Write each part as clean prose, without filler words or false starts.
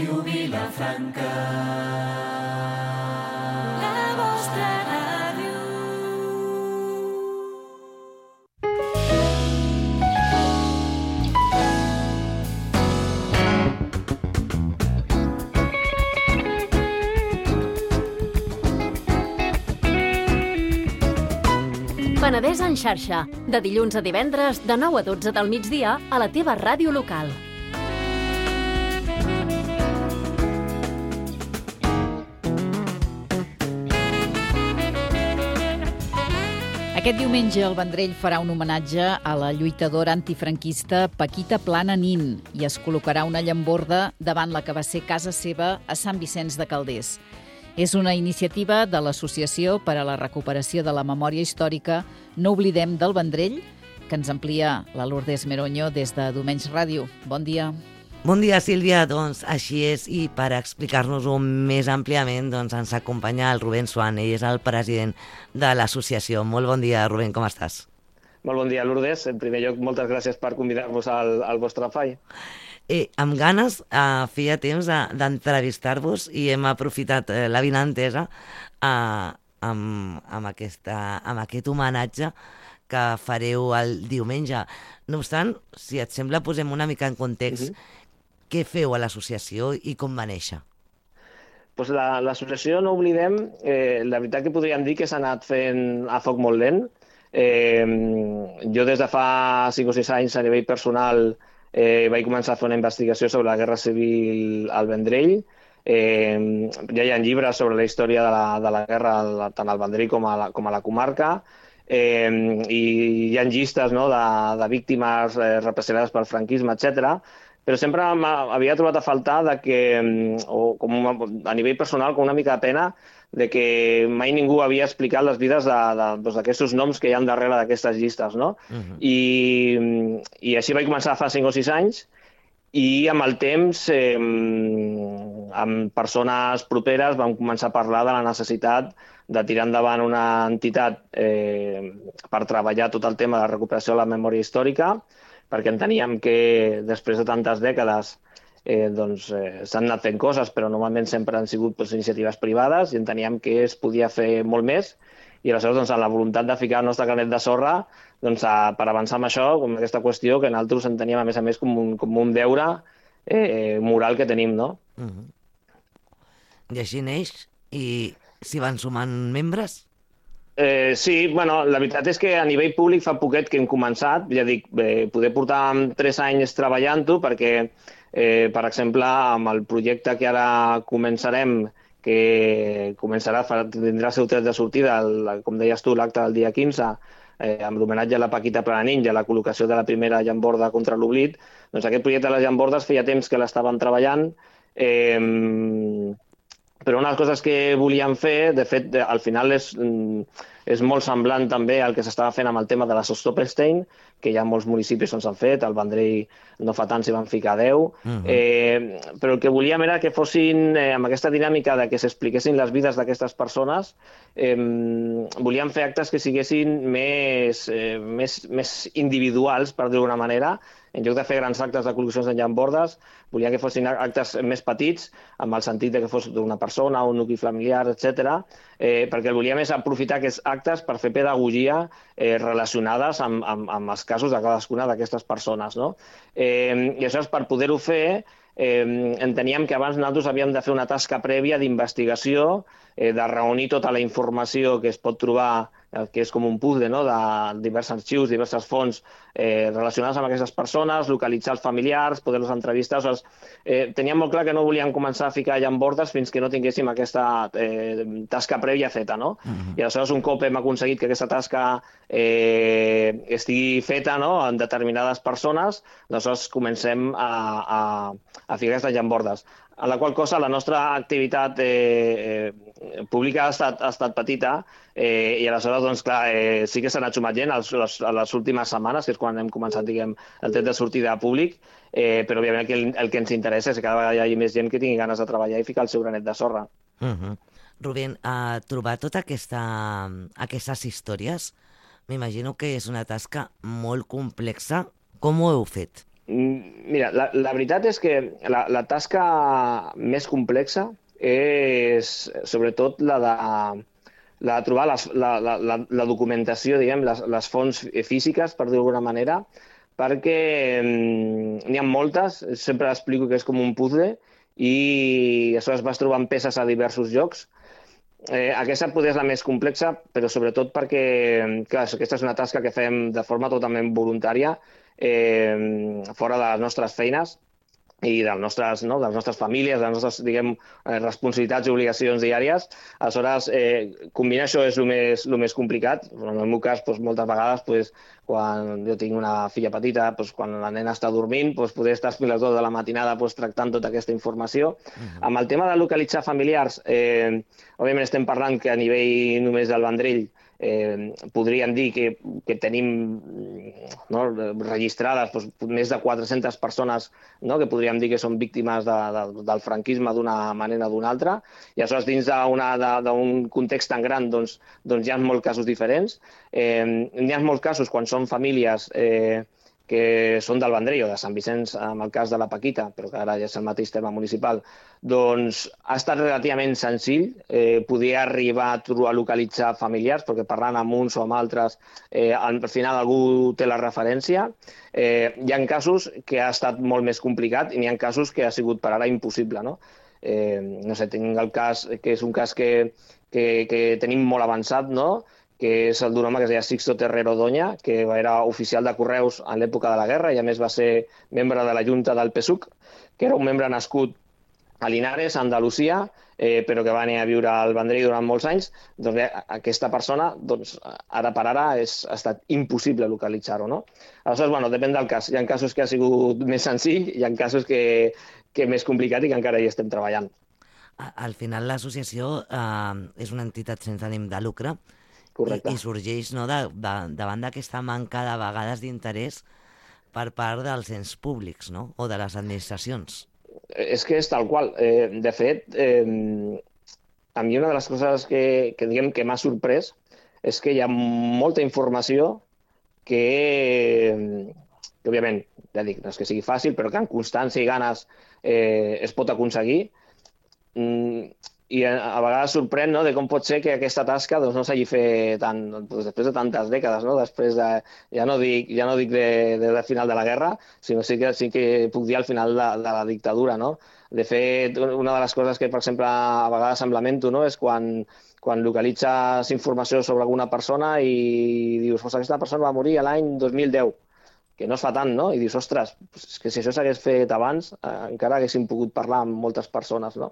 Ràdio Vilafranca, la vostra ràdio. Penedès en xarxa, de dilluns a divendres, de 9 a 12 del migdia, a la teva ràdio local. Aquest diumenge el Vendrell farà un homenatge a la lluitadora antifranquista Paquita Plana Nin i es col·locarà una llamborda davant la que va ser casa seva a Sant Vicenç de Calders. És una iniciativa de l'Associació per a la Recuperació de la Memòria Històrica No Oblidem del Vendrell, que ens amplia la Lourdes Meroño des de Domenys Ràdio. Bon dia. Bon dia, Sílvia. Doncs així és, i per explicar-nos-ho més àmpliament ens acompanya el Rubén Swan. Ell és el president de l'associació. Molt bon dia, Rubén, com estàs? Molt bon dia, Lourdes. En primer lloc, moltes gràcies per convidar-vos al vostre FAI. Amb ganes, feia temps d'entrevistar-vos i hem aprofitat l'avinentesa amb aquest homenatge que fareu el diumenge. No obstant, si et sembla, posem una mica en context què feu a l'associació i com va néixer. Pues l'associació No Oblidem, la veritat que podríem dir que s'ha anat fent a foc molt lent. Jo des de fa 5 o 6 anys a nivell personal vaig començar a fer una investigació sobre la Guerra Civil al Vendrell. Ja hi ha llibres sobre la història de la guerra tant al Vendrell com a la comarca. I hi ha llistes de víctimes represaliades pel franquisme, etc. Però sempre havia trobat a faltar a nivell personal, com una mica de pena, de que mai ningú havia explicat les vides d'aquests noms que hi ha darrere d'aquestes llistes, no? I així vaig començar fa 5 o 6 anys, i amb el temps, amb persones properes, vam començar a parlar de la necessitat de tirar endavant una entitat per treballar tot el tema de la recuperació de la memòria històrica, perquè enteníem que després de tantes dècades s'han anat fent coses, però normalment sempre han sigut iniciatives privades i enteníem que es podia fer molt més, i aleshores amb la voluntat de ficar el nostre granet de sorra per avançar amb això, com aquesta qüestió que nosaltres enteníem a més com un deure moral que tenim, no? I així neix, i s'hi van sumant membres? Sí, bueno, la veritat és que a nivell públic fa poquet que hem començat, ja dic, poder portar 3 anys treballant-ho, perquè, per exemple, amb el projecte que ara començarem, que tindrà el seu tret de sortida, com deies tu, l'acte del dia 15, amb l'homenatge a la Paquita Plana Nin i a la col·locació de la primera llamborda contra l'oblit. Doncs aquest projecte de les llambordes feia temps que l'estàvem treballant, però una de les coses que volíem fer, de fet, al final és molt semblant també al que s'estava fent amb el tema de la Stolperstein, que hi ha molts municipis on s'han fet, al Vendrell no fa tant s'hi van ficar 10, però el que volíem era que fossin, amb aquesta dinàmica de que s'expliquessin les vides d'aquestes persones, volíem fer actes que siguessin més individuals, per dir-ho d'una manera. En lloc de fer grans actes de col·locacions de llambordes, volia que fossin actes més petits, amb el sentit que fos d'una persona, un nucli familiar, etc. Perquè el volíem és aprofitar aquests actes per fer pedagogia relacionades amb els casos de cadascuna d'aquestes persones, no? I això és per poder-ho fer. Enteníem que abans nosaltres havíem de fer una tasca prèvia d'investigació, de reunir tota la informació que es pot trobar, que és com un puzzle, no?, de diversos arxius, diverses fonts relacionades amb aquestes persones, localitzar els familiars, poder-los entrevistar. Teníem molt clar que no volíem començar a ficar llambordes fins que no tinguéssim aquesta tasca prèvia feta, no? I aleshores, un cop hem aconseguit que aquesta tasca estigui feta, no?, en determinades persones, aleshores comencem a ficar aquestes llambordes. En la qual cosa la nostra activitat pública ha estat petita, i aleshores, doncs, clar, sí que s'ha anat sumant gent a les últimes setmanes, que és quan hem començat, diguem, el tret de sortida públic, però òbviament el que ens interessa és que cada vegada hi hagi més gent que tingui ganes de treballar i ficar el seu granet de sorra. Rubén, trobar totes aquestes històries, m'imagino que és una tasca molt complexa. Com ho heu fet? Mira, la veritat és que la tasca més complexa és sobretot la de trobar la documentació, diguem, les fonts físiques, per dir-ho d'alguna manera, perquè n'hi ha moltes, sempre explico que és com un puzzle, i aleshores vas trobant peces a diversos llocs. Aquesta potser és la més complexa, però sobretot perquè, clar, aquesta és una tasca que fem de forma totalment voluntària, fora de les nostres feines i de les nostres famílies, de les nostres, diguem, responsabilitats i obligacions diàries. Aleshores, combinar això és el més complicat. En el meu cas, moltes vegades, quan jo tinc una filla petita, quan la nena està dormint, poder estar fins a les 2 de la matinada tractant tota aquesta informació. Amb el tema de localitzar familiars, òbviament estem parlant que a nivell només del Vendrell podríem dir que tenim registrades més de 400 persones que podríem dir que són víctimes del franquisme d'una manera o d'una altra, i aleshores dins d'un context tan gran hi ha molts casos diferents. Hi ha molts casos quan són famílies que són del Vendrell o de Sant Vicenç, en el cas de la Paquita, però que ara ja és el mateix terme municipal, doncs ha estat relativament senzill poder arribar a localitzar familiars, perquè parlant amb uns o amb altres, al final algú té la referència. Hi ha casos que ha estat molt més complicat i n'hi ha casos que ha sigut per ara impossible, no? No sé, tinc el cas, que és un cas que tenim molt avançat, no?, que és el d'un home que es deia Sixto Terrero Doña, que era oficial de correus en l'època de la guerra i a més va ser membre de la Junta del PSUC, que era un membre nascut a Linares, Andalusia, però que va anar a viure al Vendrell durant molts anys. Doncs bé, aquesta persona, ara per ara, ha estat impossible localitzar-ho, no? Aleshores, depèn del cas. Hi ha casos que ha sigut més senzill, hi ha casos que més complicat i que encara hi estem treballant. Al final l'associació és una entitat sense ànim de lucre. Correcte. I sorgeix davant d'aquesta manca de vegades d'interès per part dels ens públics, no?, o de les administracions. És que és tal qual. De fet, a mi una de les coses que m'ha sorprès és que hi ha molta informació que òbviament, ja dic, no és que sigui fàcil, però que amb constància i ganes es pot aconseguir. I a vegades sorprèn, no?, de com pot ser que aquesta tasca no s'hagi fet després de tantes dècades, no?, després de, ja no dic de final de la guerra, sinó sí que puc dir al final de la dictadura, no? De fet, una de les coses que, per exemple, a vegades em lamento, no?, és quan localitzes informació sobre alguna persona i dius, aquesta persona va morir l'any 2010, que no es fa tant, no? I dius, ostres, és que si això s'hagués fet abans, encara haguéssim pogut parlar amb moltes persones, no?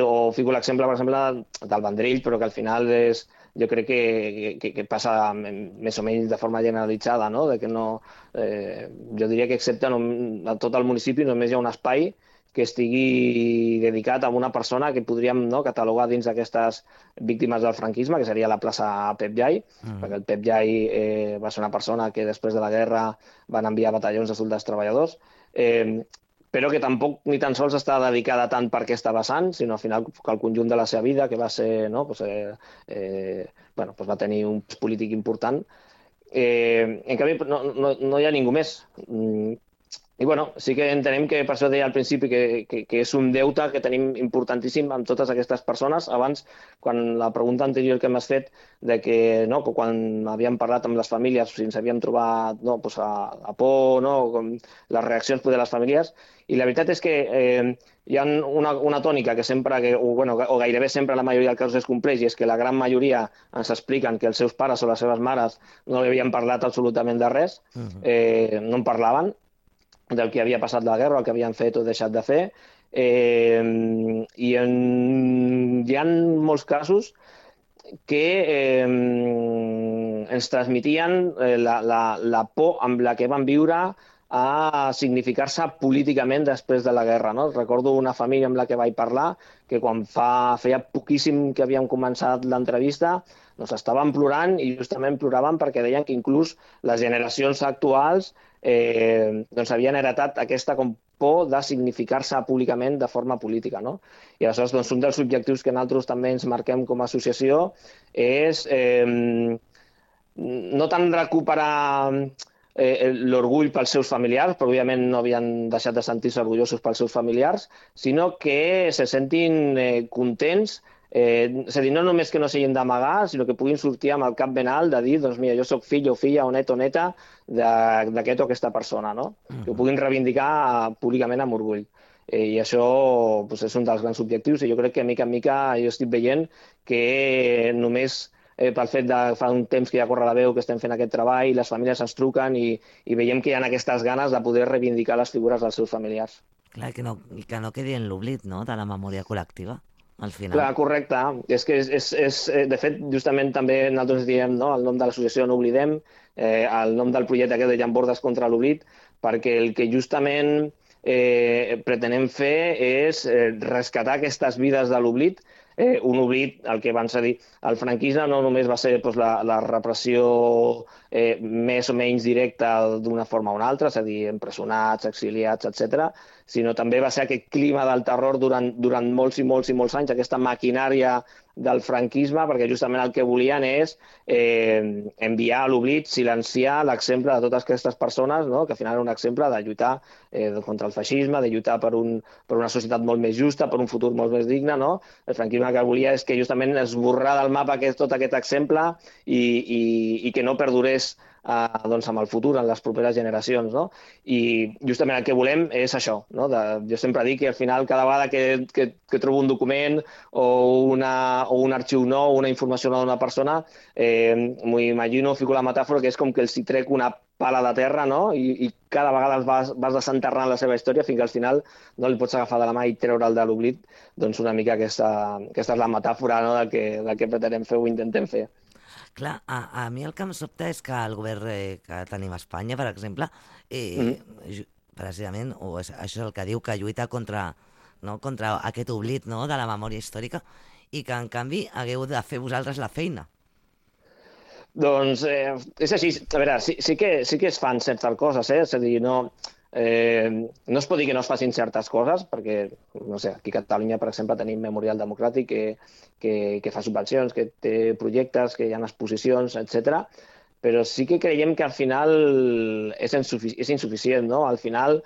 O fico l'exemple, per exemple, del Vendrell, però que al final jo crec que passa més o menys de forma generalitzada, no? De que no, jo diria que excepte a tot el municipi només hi ha un espai que estigui dedicat a una persona que podríem catalogar dins d'aquestes víctimes del franquisme, que seria la plaça Pep Jai, perquè el Pep Jai va ser una persona que després de la guerra van enviar batallons de soldats treballadors, però que tampoc ni tan sols està dedicada tant per aquesta vessant, sinó al final que el conjunt de la seva vida, que va ser, va tenir un polític important. En canvi, no hi ha ningú més. I sí que entenem que, per això deia al principi, que és un deute que tenim importantíssim amb totes aquestes persones. Abans, quan la pregunta anterior que m'has fet, de que quan havíem parlat amb les famílies, si ens havíem trobat a por, les reaccions de les famílies, i la veritat és que hi ha una tònica que sempre, o gairebé sempre la majoria dels casos es compleix, i és que la gran majoria ens expliquen que els seus pares o les seves mares no li havien parlat absolutament de res, no en parlaven, del que havia passat la guerra, el que havien fet o deixat de fer. I hi ha molts casos que ens transmetien la por amb la que van viure a significar-se políticament després de la guerra. Recordo una família amb la que vaig parlar que quan feia poquíssim que havíem començat l'entrevista estaven plorant i justament ploraven perquè deien que inclús les generacions actuals havien heretat aquesta por de significar-se públicament de forma política. I aleshores un dels objectius que nosaltres també ens marquem com a associació és no tant recuperar l'orgull pels seus familiars, però òbviament no havien deixat de sentir-se orgullosos pels seus familiars, sinó que se sentin contents, és a dir, no només que no s'hagin d'amagar, sinó que puguin sortir amb el cap ben alt de dir, doncs mira, jo sóc fill o filla o net o neta d'aquest o aquesta persona, no? Que ho puguin reivindicar públicament amb orgull. I això és un dels grans objectius i jo crec que mica en mica jo estic veient que només pel fet de fa un temps que ja corre la veu que estem fent aquest treball, les famílies ens truquen i veiem que hi ha aquestes ganes de poder reivindicar les figures dels seus familiars. Clar, que no quedi en l'oblit, no?, de la memòria col·lectiva, al final. Clar, correcte. És que de fet, justament també nosaltres diem, no?, el nom de l'associació No Oblidem, el nom del projecte aquest de Llambordes contra l'oblit, perquè el que justament pretenem fer és rescatar aquestes vides de l'oblit, un oblit, el que van dir, el franquisme no només va ser la repressió més o menys directa d'una forma o una altra, és a dir, empresonats, exiliats, etc., sinó també va ser aquest clima del terror durant molts i molts i molts anys, aquesta maquinària del franquisme, perquè justament el que volien és enviar a l'oblit, silenciar l'exemple de totes aquestes persones, no?, que al final era un exemple de lluitar contra el feixisme, de lluitar per una societat molt més justa, per un futur molt més digne, no? El franquisme el que volia és que justament esborrar del mapa tot aquest exemple i que no perdurés doncs amb el futur, en les properes generacions, no? I justament el que volem és això, no? Jo sempre dic que al final cada vegada que trobo un document o un arxiu nou, una informació nova d'una persona, m'ho imagino, fico la metàfora, que és com que els hi trec una pala de terra, no? I cada vegada vas desenterrant la seva història fins que al final no li pots agafar de la mà i treure'l de l'oblit. Doncs una mica aquesta és la metàfora, no?, del que pretenem fer o intentem fer. Clar, a mi el que em sobta és que el govern que tenim a Espanya, per exemple, precisament, això és el que diu, que lluita contra aquest oblit, no?, de la memòria històrica, i que en canvi hagueu de fer vosaltres la feina. Doncs és així. A veure, sí que es fan certes coses, és a dir, no es pot dir que no es facin certes coses, perquè, no sé, aquí a Catalunya, per exemple, tenim Memorial Democràtic que fa subvencions, que té projectes, que hi ha exposicions, etc. Però sí que creiem que al final és insuficient, no? Al final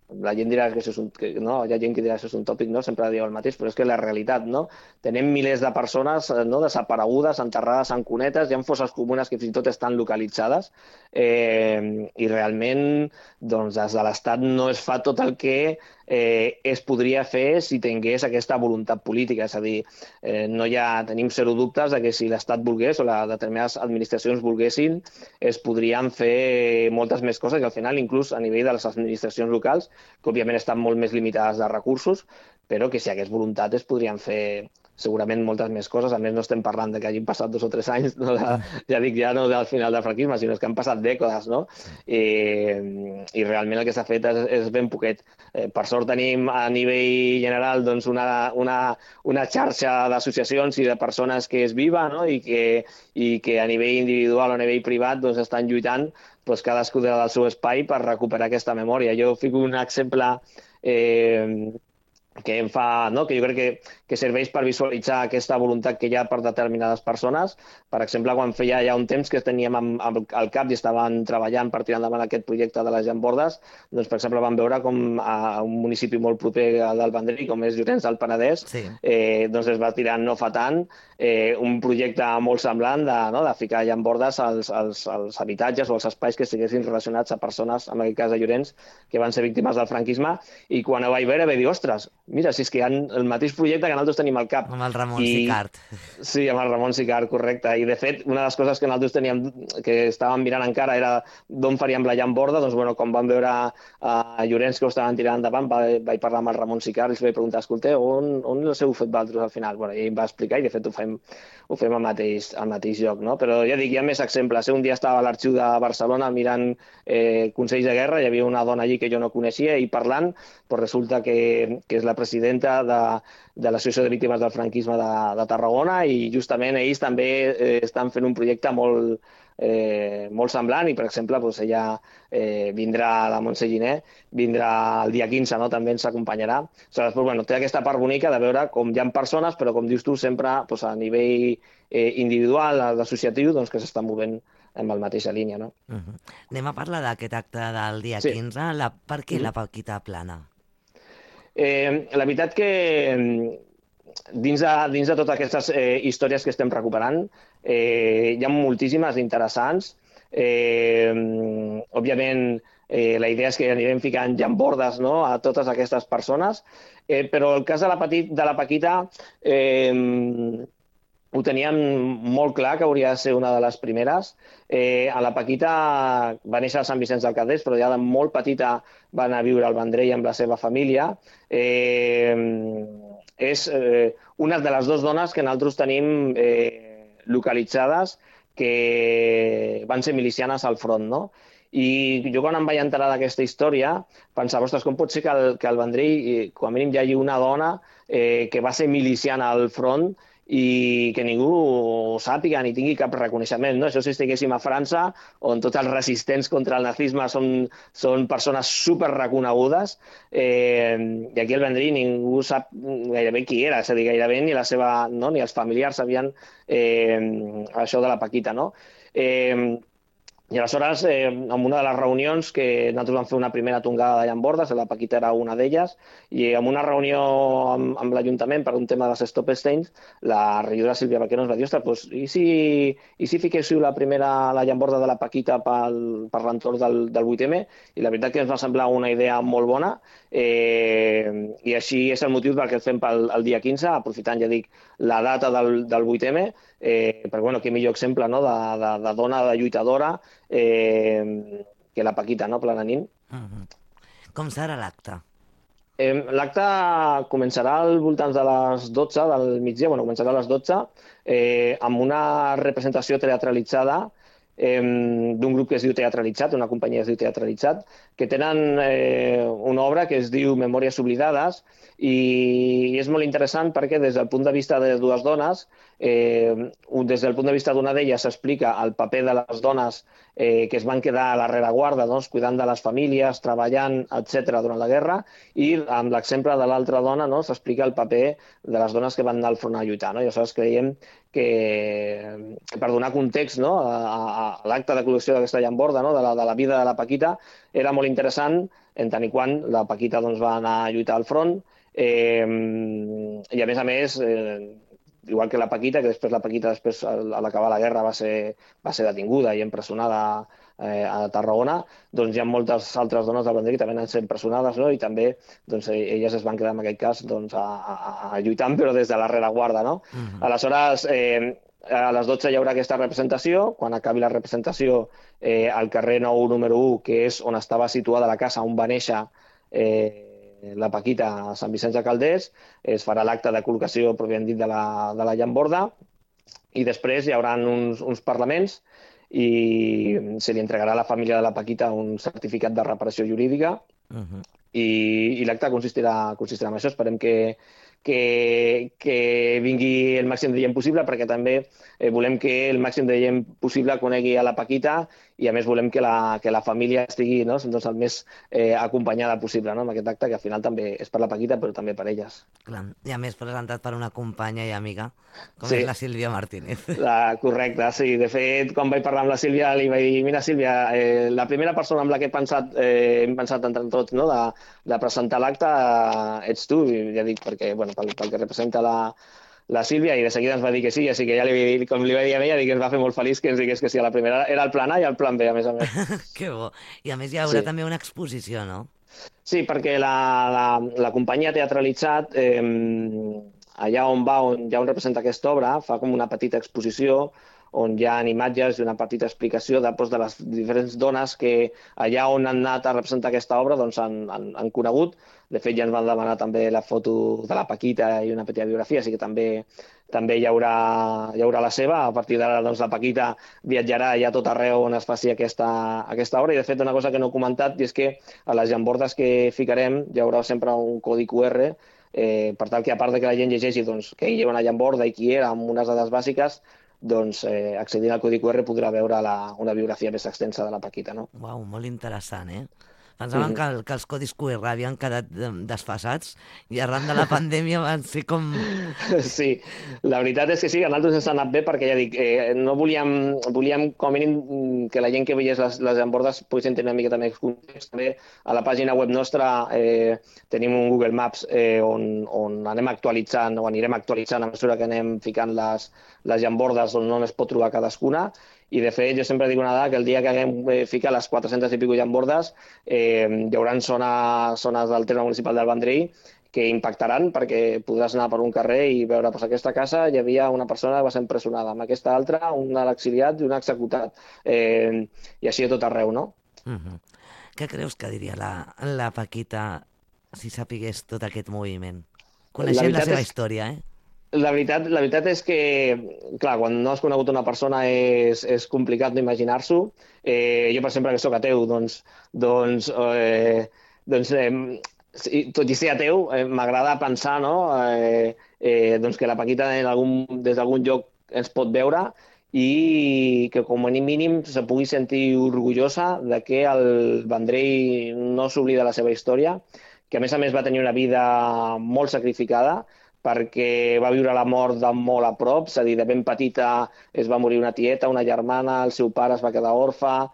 la gent dirà que això és no? Hi ha gent que dirà que això és un tòpic, no? Sempre diu el mateix, però és que és la realitat, no? Tenim milers de persones, no?, desaparegudes, enterrades en cunetes, hi ha fosses comunes que fins i tot estan localitzades, i realment doncs, des de l'Estat no es fa tot el que es podria fer si tingués aquesta voluntat política. És a dir, tenim zero dubtes de que si l'Estat volgués o les determinades administracions volguessin, es podrien fer moltes més coses i al final inclús a nivell de les administracions locals, que òbviament estan molt més limitades de recursos, però que si hi hagués voluntat es podrien fer segurament moltes més coses. A més, no estem parlant de que hagin passat 2 o 3 anys, no ja no del final del franquisme, sinó que han passat dècades, no? I realment el que s'ha fet és ben poquet. Per sort tenim a nivell general doncs, una xarxa d'associacions i de persones que és viva, no?, i que a nivell individual o a nivell privat doncs, estan lluitant doncs, cadascú del seu espai per recuperar aquesta memòria. Jo fico un exemple que em fa, no?, que jo crec que serveix per visualitzar aquesta voluntat que hi ha per determinades persones. Per exemple, quan feia ja un temps que teníem al cap i estaven treballant per tirar endavant aquest projecte de les llambordes, doncs, per exemple, vam veure com a un municipi molt proper del Vendrell, com és Llorenç del Penedès, doncs es va tirar no fa tant un projecte molt semblant de ficar llambordes als habitatges o als espais que estiguessin relacionats a persones, en aquest cas de Llorenç, que van ser víctimes del franquisme, i quan ho vaig veure vaig dir, ostres, mira, si és que hi ha el mateix projecte que nosaltres tenim al cap. Amb el Ramon Sicart. Sí, amb el Ramon Sicart, correcte. I, de fet, una de les coses que nosaltres teníem, que estàvem mirant encara, era d'on faríem la llamborda. Doncs, bueno, quan vam veure a Llorenç que ho estaven tirant endavant, vaig parlar amb el Ramon Sicart i els vaig preguntar, escolteu, on els heu fet vosaltres al final? Bueno, i ell em va explicar i, de fet, ho fem al mateix lloc, no? Però ja dic, hi ha més exemples. Un dia estava a l'Arxiu de Barcelona mirant Consells de Guerra, hi havia una dona allí que jo no coneixia i parlant, però resulta que és la presidenta de l'Associació de Víctimes del Franquisme de Tarragona i justament ells també estan fent un projecte molt semblant i, per exemple, ella vindrà, la Montse Giner, vindrà el dia 15, no? També ens acompanyarà. Després, té aquesta part bonica de veure com hi ha persones, però com dius tu, sempre a nivell individual, associatiu, que s'estan movent amb la mateixa línia, no? Anem a parlar d'aquest acte del dia Sí. 15. Per què la Paquita Plana? La veritat que dins de totes aquestes històries que estem recuperant, hi ha moltíssimes interessants. Òbviament, la idea és que anirem ficant llambordes, no?, a totes aquestes persones, però el cas de la Paquita ho teníem molt clar que hauria de ser una de les primeres. A la Paquita va néixer a Sant Vicenç del Calders, però ja de molt petita va anar a viure al Vendrell amb la seva família. És una de les dues dones que nosaltres tenim localitzades que van ser milicianes al front, no? I jo quan em vaig enterar d'aquesta història pensava, ostres, com pot ser que al Vendrell, com a mínim, hi hagi una dona que va ser miliciana al front i que ningú ho sàpiga ni tingui cap reconeixement, no? Això si estiguéssim a França, on tots els resistents contra el nazisme són persones super reconegudes, i aquí al Vendrell ningú sap gairebé qui era, és a dir, gairebé ni la seva, no? Ni els familiars sabien això de la Paquita, no? I aleshores, en una de les reunions que nosaltres vam fer una primera tongada de llambordes, la Paquita era una d'elles, i en una reunió amb l'Ajuntament per un tema de Stop Stains, la regidora Sílvia Vaquero ens va dir, ostres, doncs, i si fiquéssiu la llamborda de la Paquita per l'entorn del 8M? I la veritat que ens va semblar una idea molt bona, i així és el motiu perquè el fem pel dia 15, aprofitant, ja dic, la data del 8M, perquè, bueno, quin millor exemple, no?, de dona, de lluitadora, que la Paquita, no?, Plana Nin. Com serà l'acte? L'acte començarà al voltant de les 12 del migdia, bueno, començarà a les 12, amb una representació teatralitzada d'un grup que es diu Teatralitzat, una companyia que es diu Teatralitzat, que tenen una obra que es diu Memòries oblidades, i és molt interessant perquè des del punt de vista de dues dones, des del punt de vista d'una d'elles s'explica el paper de les dones que es van quedar a la rereguarda, doncs, cuidant de les famílies, treballant, etc. durant la guerra, i amb l'exemple de l'altra dona, no?, s'explica el paper de les dones que van anar al front a lluitar, no? I aleshores creiem que per donar context, no?, a l'acte de col·lecció d'aquesta llamborda, no?, de la vida de la Paquita, era molt interessant, en tant i quan la Paquita, doncs, va anar a lluitar al front, i a més, igual que la Paquita, que després la Paquita, a l'acabar la guerra, va ser detinguda i empresonada a Tarragona, doncs hi ha moltes altres dones del Vendrell que també han estat empresonades, no?, i també doncs, elles es van quedar, en aquest cas, doncs, lluitant, però des de la rereguarda, no? Aleshores, a les 12 hi haurà aquesta representació. Quan acabi la representació, al carrer Nou número 1, que és on estava situada la casa on va néixer la Paquita a Sant Vicenç de Calders, es farà l'acte de col·locació, pròpiament dit, de la llamborda, i després hi haurà uns parlaments i se li entregarà a la família de la Paquita un certificat de reparació jurídica, i l'acte consistirà en això. Esperem que vingui el màxim de gent possible, perquè també volem que el màxim de gent possible conegui a la Paquita, i a més volem que la família estigui, no?, doncs, el més acompanyada possible, no?, amb aquest acte, que al final també és per la Paquita, però també per elles. Clar. I a més presentat per una companya i amiga, com Sí. és la Sílvia Martínez. Correcte, sí. De fet, quan vaig parlar amb la Sílvia, li vaig dir, mira, Sílvia, la primera persona amb la que hem pensat entre tots, no?, de presentar l'acte ets tu, i ja dic, perquè, bueno, pel que representa la Sílvia, i de seguida ens va dir que sí, així que ja com li va dir a ella, que ens va fer molt feliç que ens digués que sí. A la primera era el plan A i el plan B, a més. Que bo. I a més hi haurà Sí. també una exposició, no? Sí, perquè la companyia Teatralitzat, allà on ja on representa aquesta obra, fa com una petita exposició on hi ha imatges i una petita explicació de les diferents dones que allà on han anat a representar aquesta obra doncs han conegut. De fet, ja ens van demanar també la foto de la Paquita i una petita biografia, així que també hi haurà la seva. A partir d'ara, doncs, la Paquita viatjarà ja a tot arreu on es faci aquesta obra. I, de fet, una cosa que no he comentat, i és que a les llambordes que ficarem hi haurà sempre un codi QR, per tal que, a part de que la gent llegeixi doncs, que hi ha una llamborda i qui era, amb unes dades bàsiques, doncs, accedint al codi QR podrà veure una biografia més extensa de la Paquita, no? Uau, molt interessant, eh? Pensaven que els codis QR havien quedat desfasats i arran de la pandèmia van ser com... Sí, la veritat és que sí, a nosaltres ens ha anat bé perquè, ja dic, no volíem com a mínim que la gent que veiés les llambordes poguessin tenir una miqueta més context. També a la pàgina web nostra tenim un Google Maps on anem actualitzant o anirem actualitzant a mesura que anem ficant les llambordes on es pot trobar cadascuna. I, de fet, jo sempre dic una dada, que el dia que haguem ficat les 400 i pico llambordes hi haurà zones del terme municipal del Vendrell que impactaran perquè podràs anar per un carrer i veure, doncs aquesta casa hi havia una persona que va ser empresonada, amb aquesta altra un exiliat i un executat. I així a tot arreu, no? Què creus que diria la Paquita si sapigués tot aquest moviment? Coneixent la seva història, La veritat és que, clar, quan no has conegut una persona és complicat no imaginar-s'ho. Jo, per exemple, que sóc ateu, tot i ser ateu, m'agrada pensar, no? Que la Paquita des d'algun lloc ens pot veure i que com a mínim se pugui sentir orgullosa de que el Vendrell no s'oblida la seva història, que a més va tenir una vida molt sacrificada, perquè va viure la mort de molt a prop, és a dir, de ben petita es va morir una tieta, una germana, el seu pare es va quedar orfe,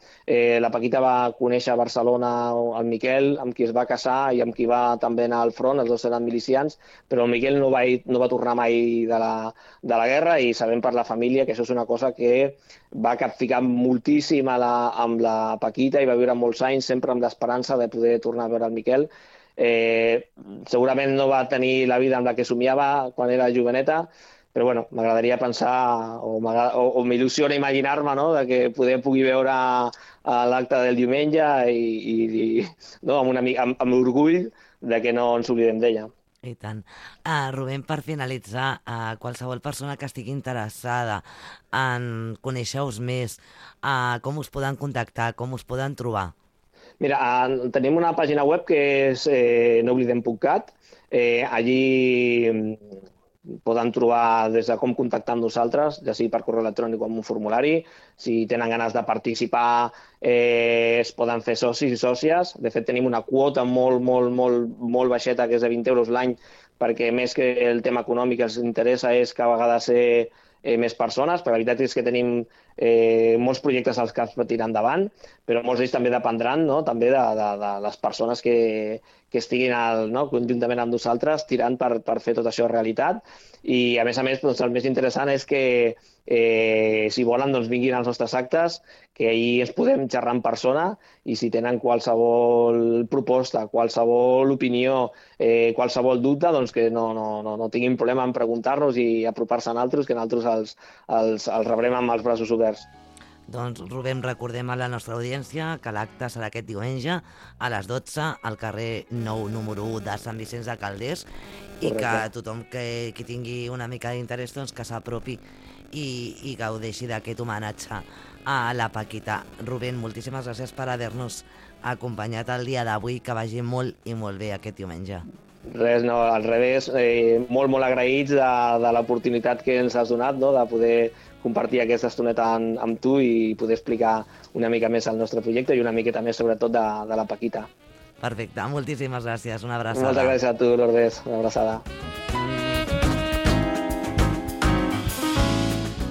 la Paquita va conèixer a Barcelona el Miquel, amb qui es va casar i amb qui va també anar al front, els dos eren milicians, però el Miquel no va tornar mai de la guerra i sabem per la família que això és una cosa que va capficar moltíssim amb la Paquita i va viure molts anys sempre amb l'esperança de poder tornar a veure el Miquel. Segurament no va tenir la vida amb la que somiava quan era joveneta, però bueno, m'agradaria pensar o m'il·lusiona imaginar-me, no?, de que pugui veure l'acte del diumenge i no, amb orgull de que no ens oblidem d'ella. I tant. Rubén, per finalitzar, qualsevol persona que estigui interessada en conèixer-vos més, com us poden contactar, com us poden trobar? Mira, tenim una pàgina web que és nooblidem.cat. Allí poden trobar des de com contactar amb nosaltres, ja sigui per correu electrònic o amb un formulari. Si tenen ganes de participar, es poden fer socis i sòcies. De fet, tenim una quota molt baixeta, que és de 20 euros l'any, perquè més que el tema econòmic els interessa és que a vegades ser més persones, perquè la veritat és que tenim molts projectes als que es pot tirar endavant, però molts d'ells també dependran, no?, també de les persones que estiguin conjuntament amb nosaltres tirant per fer tot això realitat. I, a més, el més interessant és que si volen, vinguin als nostres actes, que ahir ens podem xerrar en persona i si tenen qualsevol proposta, qualsevol opinió, qualsevol dubte, que no tinguin problema en preguntar-nos i apropar-se a nosaltres, que nosaltres els rebrem amb els braços oberts. Doncs, Rubén, recordem a la nostra audiència que l'acte serà aquest diumenge a les 12 al carrer Nou, número 1 de Sant Vicenç de Calders. Correcte. I que tothom que tingui una mica d'interès que s'apropi i gaudeixi d'aquest homenatge a la Paquita. Rubén, moltíssimes gràcies per haver-nos acompanyat el dia d'avui, que vagi molt i molt bé aquest diumenge. Res, no, al revés, molt agraïts de l'oportunitat que ens has donat, no?, de poder compartir aquesta estoneta amb tu i poder explicar una mica més el nostre projecte i una miqueta més, sobretot, de la Paquita. Perfecte, moltíssimes gràcies, una abraçada. Moltes gràcies a tu, Lourdes, una abraçada.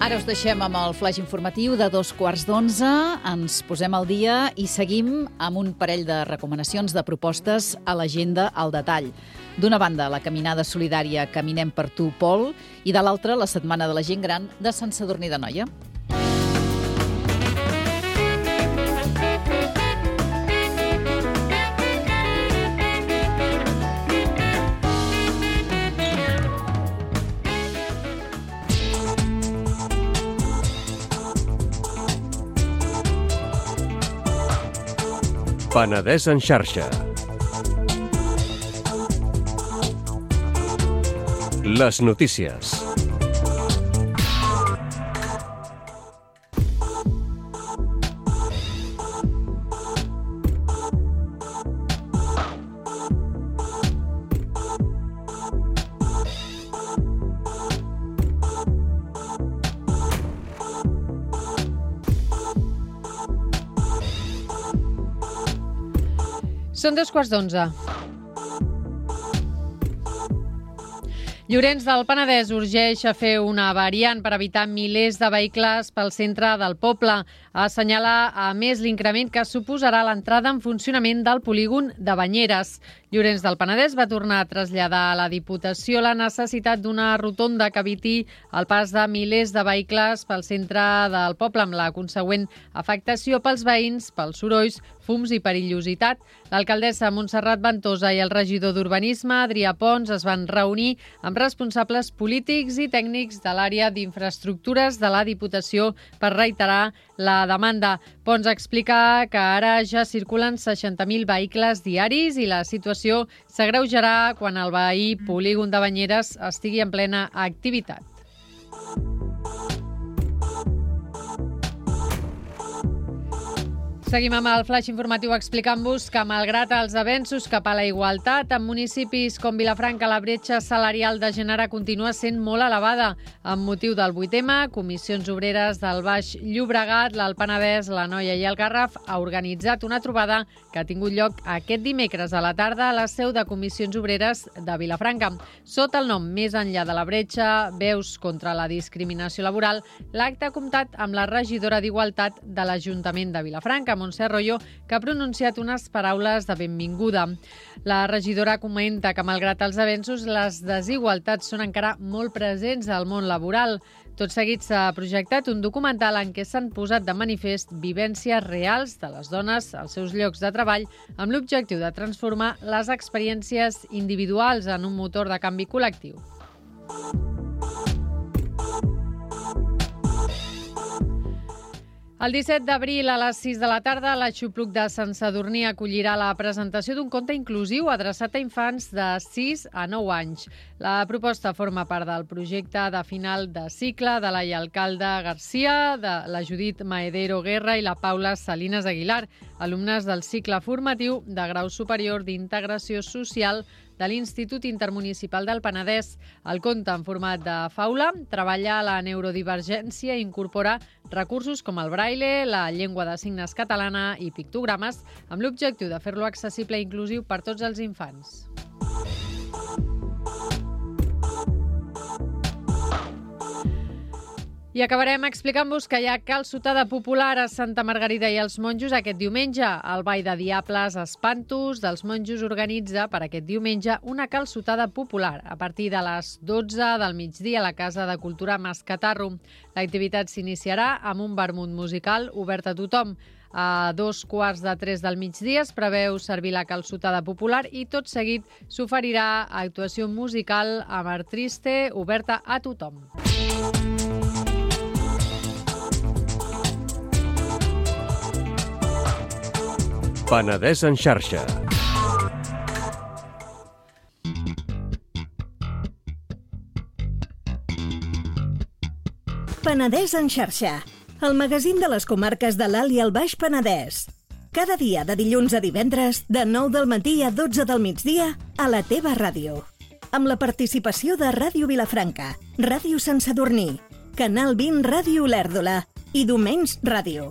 Ara us deixem amb el flaix informatiu de 11:15. Ens posem al dia i seguim amb un parell de recomanacions de propostes a l'agenda al detall. D'una banda, la caminada solidària Caminem per tu, Pol, i de l'altra, la Setmana de la Gent Gran de Sant Sadurní d'Anoia. Penedès en xarxa. Les notícies. Són 11:15. Llorenç del Penedès urgeix a fer una variant per evitar milers de vehicles pel centre del poble. Assenyala a més l'increment que suposarà l'entrada en funcionament del polígon de Banyeres. Llorenç del Penedès va tornar a traslladar a la Diputació la necessitat d'una rotonda que eviti el pas de milers de vehicles pel centre del poble, amb la consegüent afectació pels veïns, pels sorolls, fums i perillositat. L'alcaldessa Montserrat Ventosa i el regidor d'Urbanisme, Adrià Pons, es van reunir amb responsables polítics i tècnics de l'àrea d'infraestructures de la Diputació per reiterar la demanda. Pons explica que ara ja circulen 60.000 vehicles diaris i la situació s'agreujarà quan el veí polígon de Banyeres estigui en plena activitat. Seguim amb el flash informatiu explicant-vos que, malgrat els avenços cap a la igualtat, en municipis com Vilafranca la bretxa salarial de gènere continua sent molt elevada. Amb motiu del 8M, Comissions Obreres del Baix Llobregat, l'Alt Penedès, l'Anoia i el Garraf ha organitzat una trobada que ha tingut lloc aquest dimecres a la tarda a la seu de Comissions Obreres de Vilafranca. Sota el nom Més enllà de la bretxa, veus contra la discriminació laboral, l'acte ha comptat amb la regidora d'Igualtat de l'Ajuntament de Vilafranca, Montse Royo, que ha pronunciat unes paraules de benvinguda. La regidora comenta que, malgrat els avenços, les desigualtats són encara molt presents al món laboral. Tot seguit s'ha projectat un documental en què s'han posat de manifest vivències reals de les dones als seus llocs de treball amb l'objectiu de transformar les experiències individuals en un motor de canvi col·lectiu. El 17 d'abril a les 6 de la tarda, l'Aixopluc de Sant Sadurní acollirà la presentació d'un conte inclusiu adreçat a infants de 6 a 9 anys. La proposta forma part del projecte de final de cicle de la Alcalde Garcia, de la Judit Maedero Guerra i la Paula Salinas Aguilar, alumnes del cicle formatiu de grau superior d'integració social de l'Institut Intermunicipal del Penedès. El conte, en format de faula, treballa la neurodivergència i incorpora recursos com el braille, la llengua de signes catalana i pictogrames, amb l'objectiu de fer-lo accessible i inclusiu per tots els infants. I acabarem explicant-vos que hi ha calçotada popular a Santa Margarida i els Monjos aquest diumenge. El Ball de Diables Espantos dels Monjos organitza per aquest diumenge una calçotada popular a partir de les 12 del migdia a la Casa de Cultura Mascatarro. L'activitat s'iniciarà amb un vermut musical obert a tothom. A 2:15 del migdia es preveu servir la calçotada popular i tot seguit s'oferirà actuació musical amb art triste oberta a tothom. Penedès en xarxa. Penedès en xarxa, el magazín de les comarques de l'Alt i el Baix Penedès. Cada dia de dilluns a divendres, de 9 del matí a 12 del migdia, a la teva ràdio. Amb la participació de Ràdio Vilafranca, Ràdio Sant Sadurní, Canal 20 Ràdio Olèrdola i Domenys Ràdio.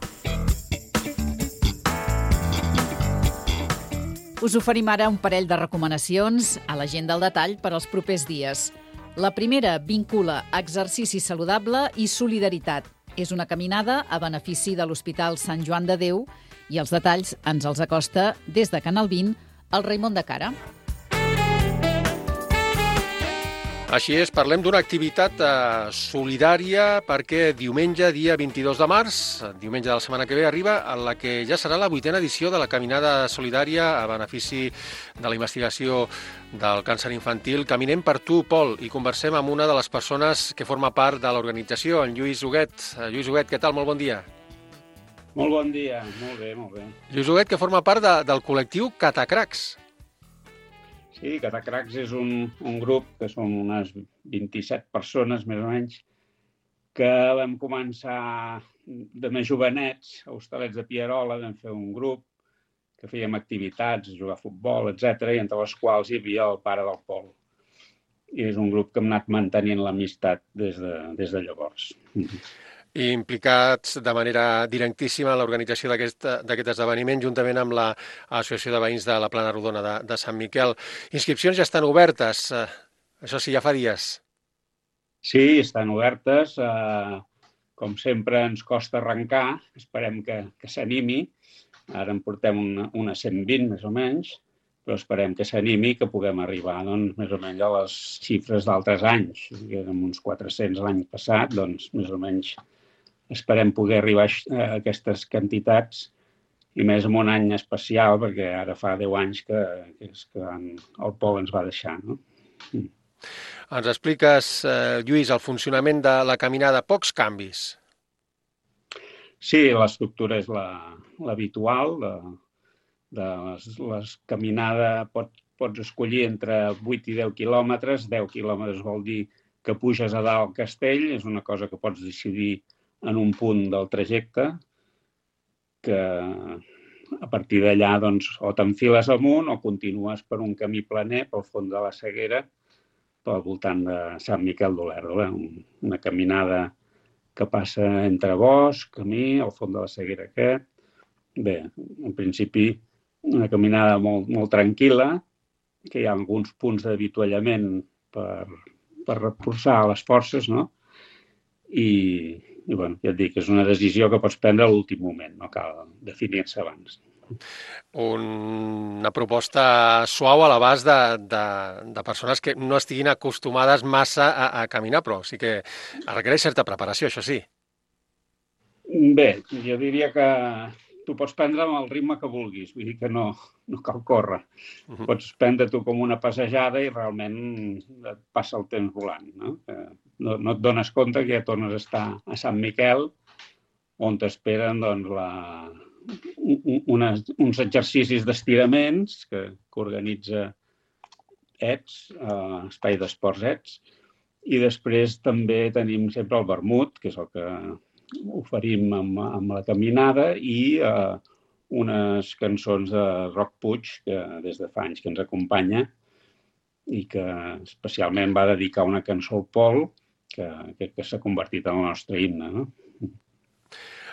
Us oferim ara un parell de recomanacions a la gent del detall per als propers dies. La primera vincula exercici saludable i solidaritat. És una caminada a benefici de l'Hospital Sant Joan de Déu i els detalls ens els acosta des de Canal 20 el Raimon de Cara. Així és, parlem d'una activitat solidària perquè diumenge, dia 22 de març, diumenge de la setmana que ve, arriba en la que ja serà la 8a edició de la Caminada Solidària a benefici de la investigació del càncer infantil. Caminem per tu, Pol, i conversem amb una de les persones que forma part de l'organització, en Lluís Huguet. Lluís Huguet, què tal? Molt bon dia. Molt bon dia, molt bé, molt bé. Lluís Huguet, que forma part del col·lectiu Catacracs. Sí, Catacracs és un grup que són unes 27 persones, més o menys, que vam començar de més jovenets, a Hostalets de Pierola, vam fer un grup que fèiem activitats, jugar a futbol, etc., i entre les quals hi havia el pare del Pol. I és un grup que hem anat mantenint l'amistat des de llavors. I implicats de manera directíssima en l'organització d'aquest esdeveniment, juntament amb l'Associació de Veïns de la Plana Rodona de Sant Miquel. Inscripcions ja estan obertes, això sí, ja fa dies. Sí, estan obertes. Com sempre ens costa arrencar, esperem que s'animi. Ara en portem unes 120 més o menys, però esperem que s'animi i que puguem arribar més o menys a les xifres d'altres anys. Érem uns 400 l'any passat, doncs més o menys esperem poder arribar a aquestes quantitats i més en un any especial, perquè ara fa 10 anys que el Pol ens va deixar, no? Ens expliques, Lluís, el funcionament de la caminada, pocs canvis. Sí, l'estructura és l'habitual. La caminada pots escollir entre 8 i 10 quilòmetres. 10 quilòmetres vol dir que puges a dalt al castell. És una cosa que pots decidir en un punt del trajecte, que a partir d'allà o t'enfiles amunt o continues per un camí planer pel fons de la Seguera, pel voltant de Sant Miquel d'Olèrdola. Una caminada que passa entre bosc, camí, al fons de la Seguera aquest. Bé, en principi, una caminada molt, molt tranquil·la, que hi ha alguns punts d'avituallament per reforçar les forces, no? I bueno, ja et dic, és una decisió que pots prendre a l'últim moment, no cal definir-se abans. Una proposta suau a l'abast de persones que no estiguin acostumades massa a caminar, però sí que requereix certa preparació, això sí. Bé, jo diria que tu pots prendre amb el ritme que vulguis, vull dir que no cal córrer. Pots prendre-t'ho com una passejada i realment et passa el temps volant, no? No et dones compte que ja tornes a estar a Sant Miquel, on t'esperen uns exercicis d'estiraments que organitza Espai d'Esports ETS, i després també tenim sempre el vermut, que és el que oferim amb la caminada, i unes cançons de Roc Puig, que des de fa anys que ens acompanya, i que especialment va dedicar una cançó al Pol, que s'ha convertit en el nostre himne, no?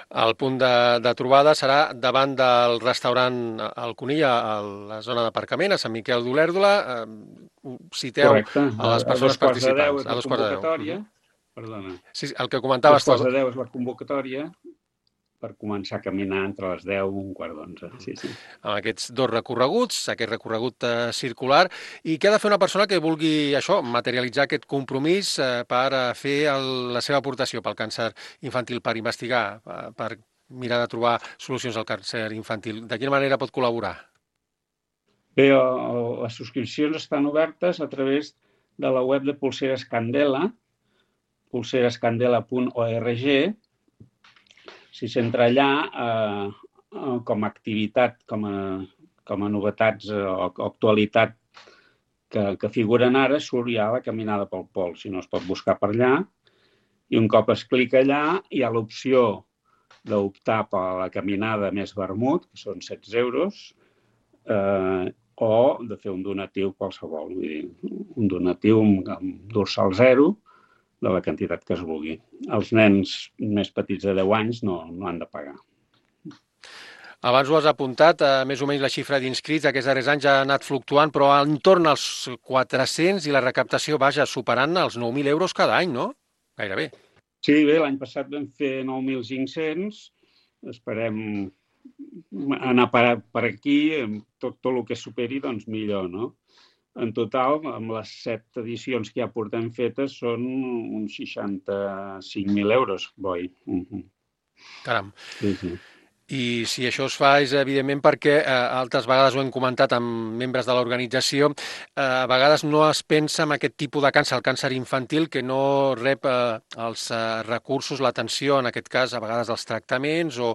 El punt de trobada serà davant del restaurant El Conill, a la zona d'aparcament, a Sant Miquel d'Olèrdola. Citeu a les persones participants. A 2:10 Perdona. Sí, el que comentaves tu. 2:10 és la convocatòria per començar a caminar entre les 10 i 11:15. Sí. Amb aquests dos recorreguts, aquest recorregut circular, i què ha de fer una persona que vulgui materialitzar aquest compromís per fer la seva aportació pel càncer infantil, per investigar, per mirar de trobar solucions al càncer infantil? De quina manera pot col·laborar? Bé, les subscripcions estan obertes a través de la web de Polseres Candela, polserescandela.org. Si s'entra allà, com a activitat, com a novetats o actualitat que figuren ara, surt ja la caminada pel Pol. Si no, es pot buscar per allà. I un cop es clica allà, hi ha l'opció d'optar per la caminada més vermut, que són 16 euros, o de fer un donatiu qualsevol. Vull dir, un donatiu amb dorsal zero, de la quantitat que es vulgui. Els nens més petits de 10 anys no han de pagar. Abans ho has apuntat, més o menys la xifra d'inscrits aquests darrers anys ha anat fluctuant, però entorn als 400 i la recaptació superant els 9.000 euros cada any, no? Gairebé. Sí, bé, l'any passat vam fer 9.500. Esperem anar per aquí, tot el que superi, doncs millor, no? En total, amb les 7 edicions que ja portem fetes, són uns 65.000 euros, boi. Caram. Sí. I si això es fa és, evidentment, perquè altres vegades ho hem comentat amb membres de l'organització, a vegades no es pensa en aquest tipus de càncer, el càncer infantil, que no rep els recursos, l'atenció, en aquest cas, a vegades dels tractaments o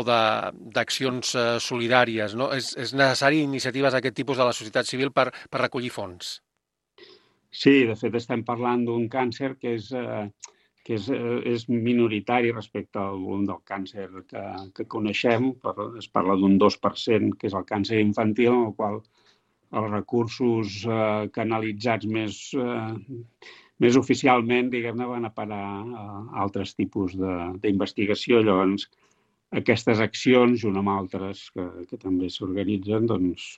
d'accions solidàries, no? És necessari iniciatives d'aquest tipus de la societat civil per recollir fons. Sí, de fet estem parlant d'un càncer que és minoritari respecte al volum del càncer que coneixem. Es parla d'un 2%, que és el càncer infantil, en el qual els recursos canalitzats més oficialment, diguem-ne, van a parar a altres tipus d'investigació. Llavors, aquestes accions, junt amb altres que també s'organitzen, doncs,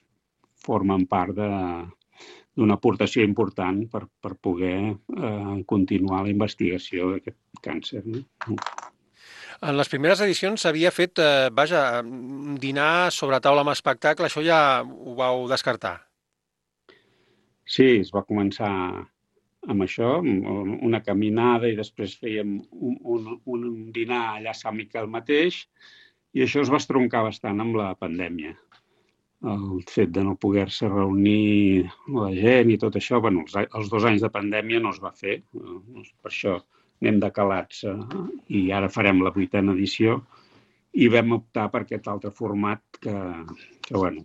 formen part d'una aportació important per poder continuar la investigació d'aquest càncer. En les primeres edicions s'havia fet, un dinar sobre taula amb espectacle, això ja ho vau descartar? Sí, es va començar amb això, una caminada, i després fèiem un dinar allà a Sant Miquel mateix, i això es va estroncar bastant amb la pandèmia. El fet de no poder-se reunir la gent i tot això, bueno, els 2 anys de pandèmia no es va fer, per això anem decalats, i ara farem la 8a edició, i vam optar per aquest altre format que bueno,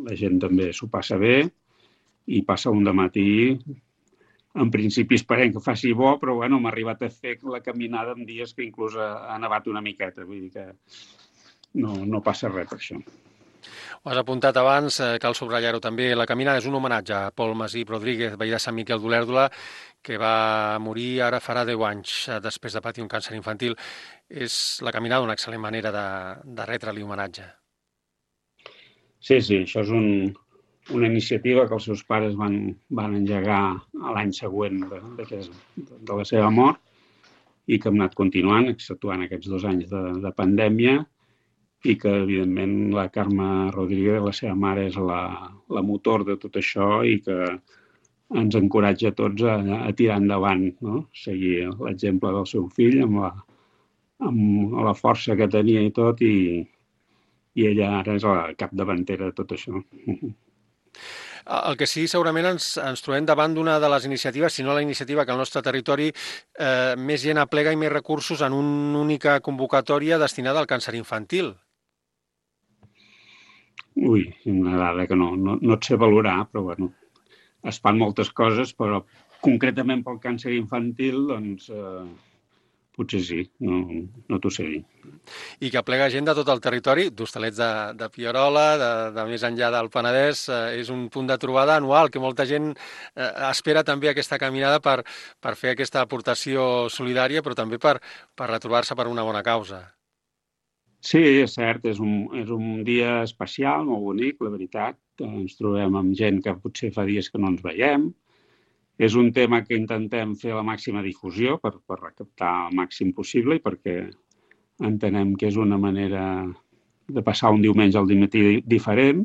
la gent també s'ho passa bé, i passa un dematí. En principi esperem que faci bo, però bueno, m'ha arribat a fer la caminada en dies que inclús ha nevat una miqueta, vull dir que no passa res per això. Ho has apuntat abans, cal subratllar-ho també. La caminada és un homenatge a Pol Masip Rodríguez, veí de Sant Miquel d'Olèrdola, que va morir ara farà 10 anys després de patir un càncer infantil. És la caminada una excel·lent manera de retre-li homenatge. Sí, això és una iniciativa que els seus pares van engegar l'any següent de la seva mort i que hem anat continuant, exceptuant aquests 2 anys de pandèmia, i que, evidentment, la Carme Rodríguez, la seva mare, és la motor de tot això i que ens encoratja a tots a tirar endavant, no? Seguir l'exemple del seu fill amb la força que tenia i tot, i ella ara és la capdavantera de tot això. El que sí, segurament ens trobem davant d'una de les iniciatives, si no la iniciativa que al nostre territori més gent aplega i més recursos en una única convocatòria destinada al càncer infantil. Ui, una dada que no et sé valorar, però bueno, es fan moltes coses, però concretament pel càncer infantil, doncs potser sí, no t'ho sé dir. I que aplega gent de tot el territori, d'Hostalets de Pierola, de més enllà del Penedès, és un punt de trobada anual, que molta gent espera també aquesta caminada per fer aquesta aportació solidària, però també per retrobar-se per una bona causa. Sí, és cert, és un dia especial, molt bonic, la veritat. Ens trobem amb gent que potser fa dies que no ens veiem. És un tema que intentem fer la màxima difusió per recaptar el màxim possible i perquè entenem que és una manera de passar un diumenge al matí diferent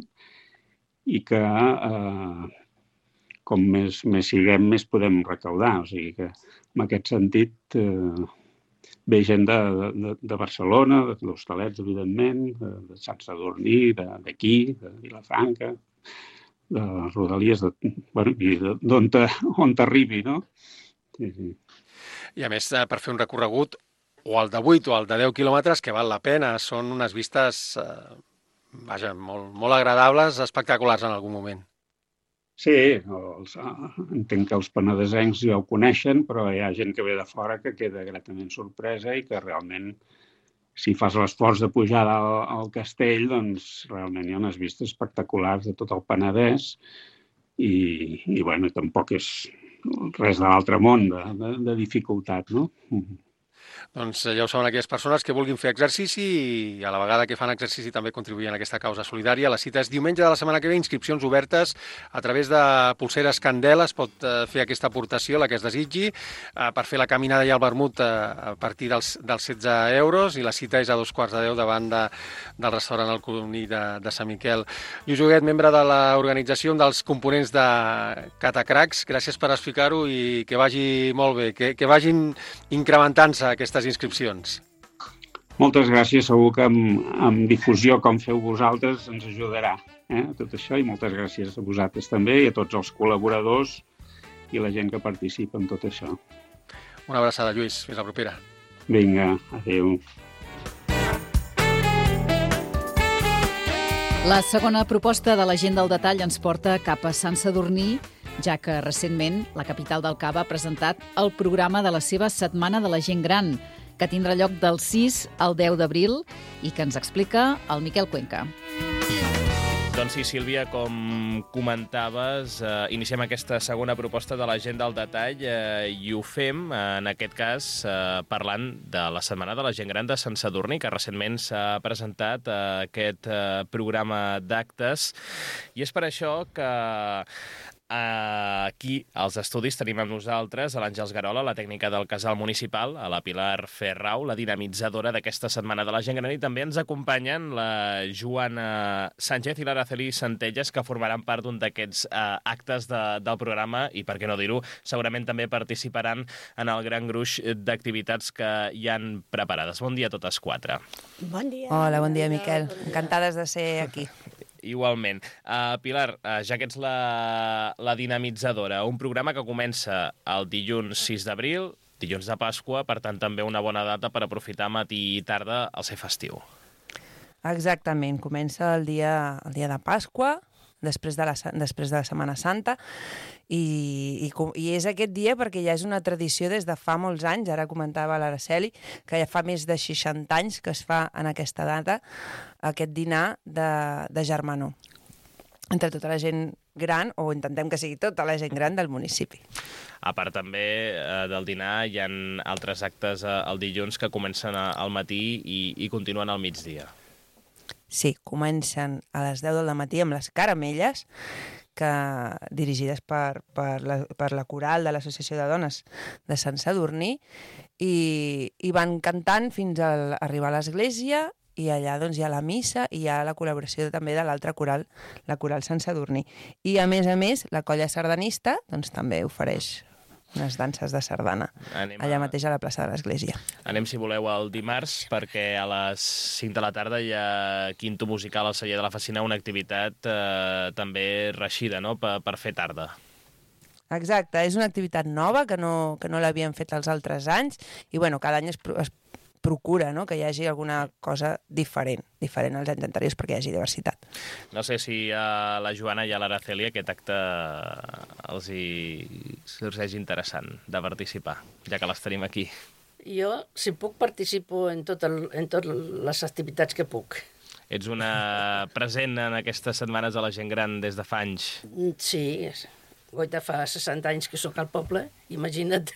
i que com més siguem, més podem recaudar. O sigui que en aquest sentit ve gent de Barcelona, d'Hostalets, evidentment, de Sant Sadurní, d'aquí, de Vilafranca, de Rodalies, d'on t'arribi, no? Sí. I a més, per fer un recorregut, o el de 8 o el de 10 quilòmetres, que val la pena, són unes vistes, molt agradables, espectaculars en algun moment. Sí, entenc que els penedesencs ja ho coneixen, però hi ha gent que ve de fora que queda gratament sorpresa i que realment, si fas l'esforç de pujar al castell, doncs realment hi ha unes vistes espectaculars de tot el Penedès i bueno, tampoc és res de l'altre món de dificultat, no? Doncs ja ho saben aquelles persones que vulguin fer exercici i a la vegada que fan exercici també contribuïen a aquesta causa solidària. La cita és diumenge de la setmana que ve, inscripcions obertes a través de Pulseres Candela. Es pot fer aquesta aportació, la que es desitgi, per fer la caminada i el vermut a partir dels 16 euros i la cita és a 9:15 davant del restaurant El Coloní de Sant Miquel. Lluís Huguet, membre de l'organització, un dels components de Catacracs, gràcies per explicar-ho i que vagi molt bé, que vagin incrementant-se aquestes inscripcions. Moltes gràcies, segur que amb difusió com feu vosaltres ens ajudarà tot això i moltes gràcies a vosaltres també i a tots els col·laboradors i la gent que participa en tot això. Una abraçada, Lluís. Fins la propera. Vinga, adéu. La segona proposta de la gent del detall ens porta cap a Sant Sadurní, ja que recentment la capital del Cava ha presentat el programa de la seva Setmana de la Gent Gran, que tindrà lloc del 6 al 10 d'abril i que ens explica el Miquel Cuenca. Doncs sí, Sílvia, com comentaves, iniciem aquesta segona proposta de la gent del detall i ho fem, en aquest cas, parlant de la Setmana de la Gent Gran de Sant Sadurní, que recentment s'ha presentat aquest programa d'actes. I és per això que aquí, als estudis, tenim amb nosaltres a l'Àngels Garola, la tècnica del casal municipal, a la Pilar Ferrau, la dinamitzadora d'aquesta Setmana de la Gent Gran, i també ens acompanyen la Joana Sánchez i l'Araceli Centelles, que formaran part d'un d'aquests actes del programa i, per què no dir-ho, segurament també participaran en el gran gruix d'activitats que hi han preparades. Bon dia a totes quatre. Bon dia. Hola, bon dia, Miquel. Encantades de ser aquí. Igualment. Pilar, ja que ets la dinamitzadora, un programa que comença el dilluns 6 d'abril, dilluns de Pasqua, per tant també una bona data per aprofitar matí i tarda el ser festiu. Exactament, comença el dia de Pasqua, després de la Setmana Santa, i és aquest dia perquè ja és una tradició des de fa molts anys, ara comentava l'Araceli, que ja fa més de 60 anys que es fa en aquesta data aquest dinar de germanor entre tota la gent gran, o intentem que sigui tota la gent gran del municipi. A part també del dinar hi ha altres actes el dilluns que comencen al matí i continuen al migdia. Sí, comencen a les 10 del matí amb les caramelles, dirigides per la coral de l'Associació de Dones de Sant Sadurní, i van cantant fins a arribar a l'església, i allà doncs, hi ha la missa i hi ha la col·laboració també de l'altra coral, la coral Sant Sadurní. I a més, la colla sardanista doncs, també ofereix unes danses de sardana allà mateix a la plaça de l'església. Anem, si voleu, el dimarts, perquè a les 5 de la tarda hi ha quinto musical al celler de la Facina, una activitat també reixida, no?, per fer tarda. Exacte, és una activitat nova que no l'havien fet els altres anys, i bueno, cada any es procura, no?, que hi hagi alguna cosa diferent als anys anteriors perquè hi hagi diversitat. No sé si a la Joana i a l'Araceli aquest acte els hi sorgeix interessant de participar, ja que les tenim aquí. Jo, si puc, participo en totes les activitats que puc. Ets una present en aquestes setmanes de la gent gran des de fa anys. Sí, goita fa 60 anys que sóc al poble, imagina't.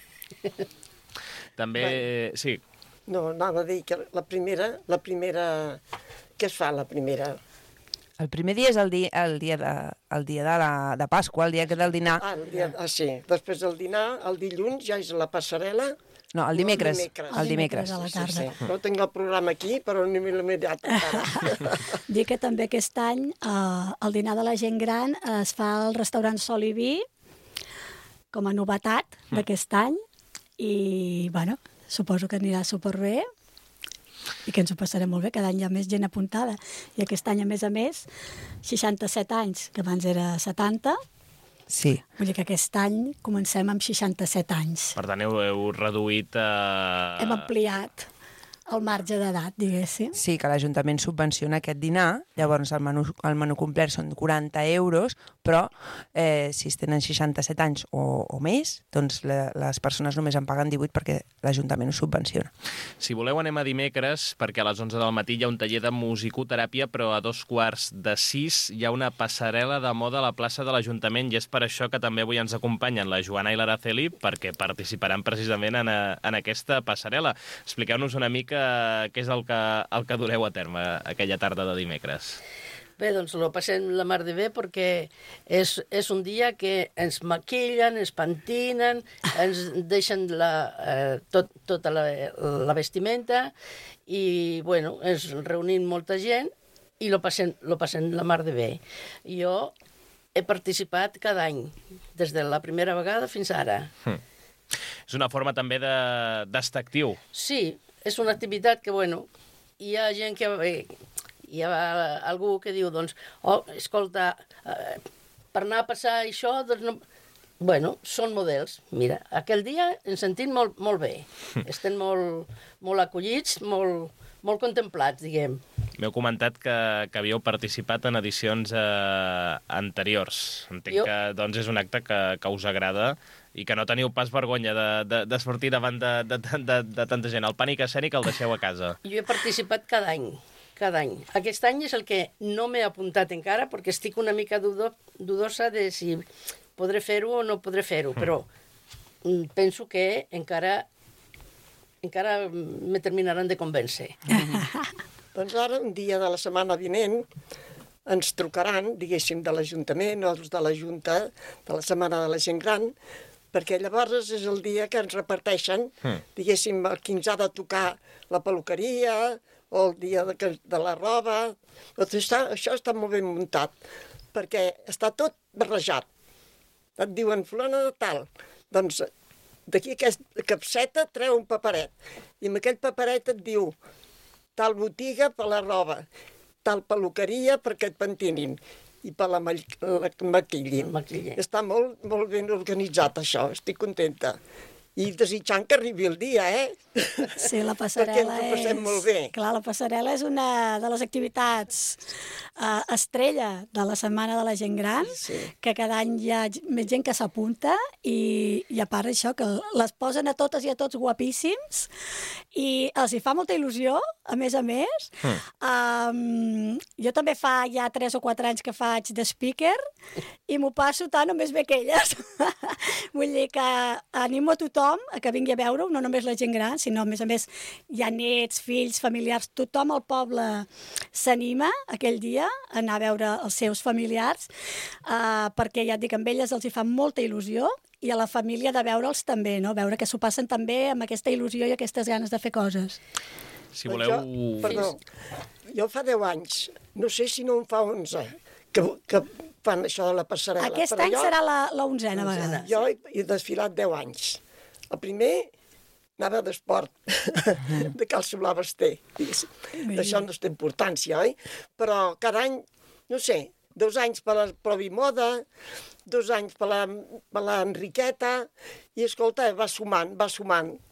També, sí. No, anava a dir que la primera... Què es fa la primera? El primer dia és el dia de Pasqua, el dia del dinar. Sí. Després del dinar, el dilluns ja és la passarel·la. No, el dimecres. El dimecres a la tarda. Sí. No tinc el programa aquí, però no m'he mirat encara. Dir que també aquest any el dinar de la gent gran es fa al restaurant Sol i Vi com a novetat d'aquest any, i bueno, suposo que anirà superbé i que ens ho passarem molt bé. Cada any hi ha més gent apuntada, i aquest any, a més, 67 anys, que abans era 70. Sí. Vull dir que aquest any comencem amb 67 anys. Per tant, heu reduït... Hem ampliat el marge d'edat, diguéssim. Sí, que l'Ajuntament subvenciona aquest dinar, llavors el menú complet són 40 euros, però si es tenen 67 anys o més, doncs les persones només en paguen 18 perquè l'Ajuntament ho subvenciona. Si voleu, anem a dimecres, perquè a les 11 del matí hi ha un taller de musicoteràpia, però a 5:45 hi ha una passarel·la de moda a la plaça de l'Ajuntament, i és per això que també avui ens acompanyen la Joana i l'Araceli, perquè participaran precisament en aquesta passarel·la. Expliqueu-nos una mica què és el que dureu a terme aquella tarda de dimecres. Bé, doncs ho passem la mar de bé, perquè és un dia que ens maquillen, ens pentinen, ens deixen tota la vestimenta, i bueno, ens reunim molta gent i lo passem la mar de bé. Jo he participat cada any, des de la primera vegada fins ara. És una forma també d'estar actiu. Sí, és una activitat que, bueno, hi ha gent que... Hi ha algú que diu, doncs, escolta, per anar a passar això, doncs no... Bueno, són models. Mira, aquell dia ens sentim molt bé. Estem molt acollits, molt contemplats, diguem. M'heu comentat que havíeu participat en edicions anteriors. Entenc que doncs, és un acte que us agrada i que no teniu pas vergonya de sortir davant de tanta gent. El pànic escènic el deixeu a casa. Jo he participat cada any. cada any. Aquest any és el que no m'he apuntat encara, perquè estic una mica dudosa de si podré fer-ho o no podré fer-ho, però penso que encara me terminaran de convèncer. Doncs ara, un dia de la setmana vinent, ens trucaran, diguéssim, de l'Ajuntament o de la Junta de la Setmana de la Gent Gran, perquè llavors és el dia que ens reparteixen, diguéssim, el qui ens ha de tocar la peluqueria o el dia de la roba. Això està molt ben muntat, perquè està tot barrejat. Et diuen, fulana de tal, doncs d'aquí aquesta capseta treu un paperet, i amb aquell paperet et diu tal botiga per la roba, tal peluqueria perquè et pentinin, i per la maquillin. Està molt, molt ben organitzat, això. Estic contenta. I desitjant que arribi el dia, Sí, la passarel·la perquè ens ho passem molt bé. Clar, la passarel·la és una de les activitats estrella de la Setmana de la Gent Gran, que cada any hi ha més gent que s'apunta i a part això, que les posen a totes i a tots guapíssims i els hi fa molta il·lusió, a més. Jo també fa ja 3 o 4 anys que faig de speaker i m'ho passo tant o més bé que elles. Vull dir que animo a tothom a que vingui a veure-ho, no només la gent gran, sinó a més hi ha nets, fills, familiars, tothom al poble s'anima aquell dia a anar a veure els seus familiars, perquè ja et dic, amb elles els hi fa molta il·lusió i a la família de veure'ls també, no? Veure que s'ho passen també amb aquesta il·lusió i aquestes ganes de fer coses. Si voleu... Perdó, jo fa 10 anys, no sé si no en fa 11, que fan això de la passarel·la. Aquest any serà la 11a vegada. Jo he desfilat 10 anys. El primer anava d'esport, de calço blau basté. Això no té importància, oi? Però cada any, no sé, 2 anys per la Provimoda, 2 anys per la Enriqueta, i escolta, va sumant,